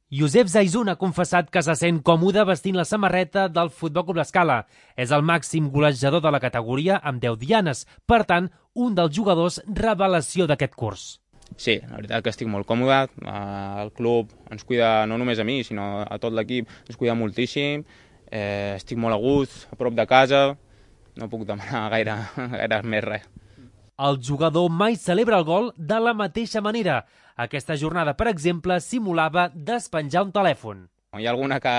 Josep Zaizun ha confessat que se sent còmode vestint la samarreta del Futbol Club L'Escala. És el màxim golejador de la categoria amb 10 dianes, per tant, un dels jugadors revelació d'aquest curs. Sí, la veritat que estic molt còmode. El club ens cuida no només a mi, sinó a tot l'equip, ens cuida moltíssim. Estic molt a gust, a prop de casa, no puc demanar gaire més res. El jugador mai celebra el gol de la mateixa manera. Aquesta jornada, per exemple, simulava despenjar un telèfon. Hi ha alguna que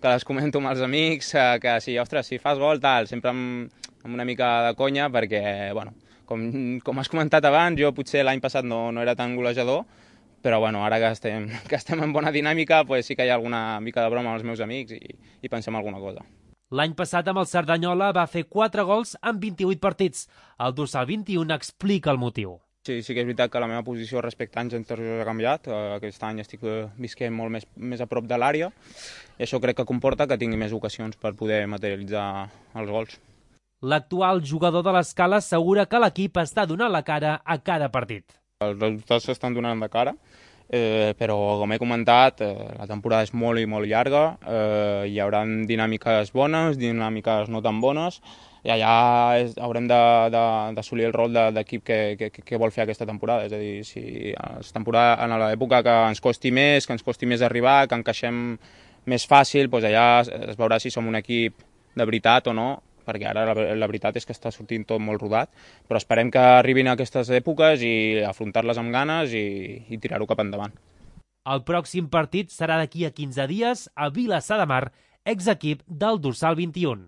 les comento amb els amics, que sí, ostres, si fas gol, tal, sempre amb una mica de conya, perquè, bueno, com has comentat abans, jo potser l'any passat no era tan golejador, però bueno, ara que estem en bona dinàmica, pues sí que hi ha alguna mica de broma amb els meus amics i pensem alguna cosa. L'any passat amb el Cerdanyola va fer 4 gols en 28 partits. El dorsal 21 explica el motiu. Sí que és veritat que la meva posició respecte a anys anteriors ha canviat. Aquest any estic visquent molt més a prop de l'àrea i això crec que comporta que tingui més ocasions per poder materialitzar els gols. L'actual jugador de l'Escala assegura que l'equip està donant la cara a cada partit. Els resultats s'estan donant de cara, però com he comentat, la temporada és molt i molt llarga, hi haurà dinàmiques bones, dinàmiques no tan bones, i allà haurem d'assolir el rol d'equip que vol fer aquesta temporada. És a dir, si en l'època que ens costi més arribar, que encaixem més fàcil, doncs allà es veurà si som un equip de veritat o no, perquè ara la veritat és que està sortint tot molt rodat, però esperem que arribin a aquestes èpoques i afrontar-les amb ganes i tirar-ho cap endavant. El pròxim partit serà d'aquí a 15 dies a Vilassar de Mar, exequip del dorsal 21.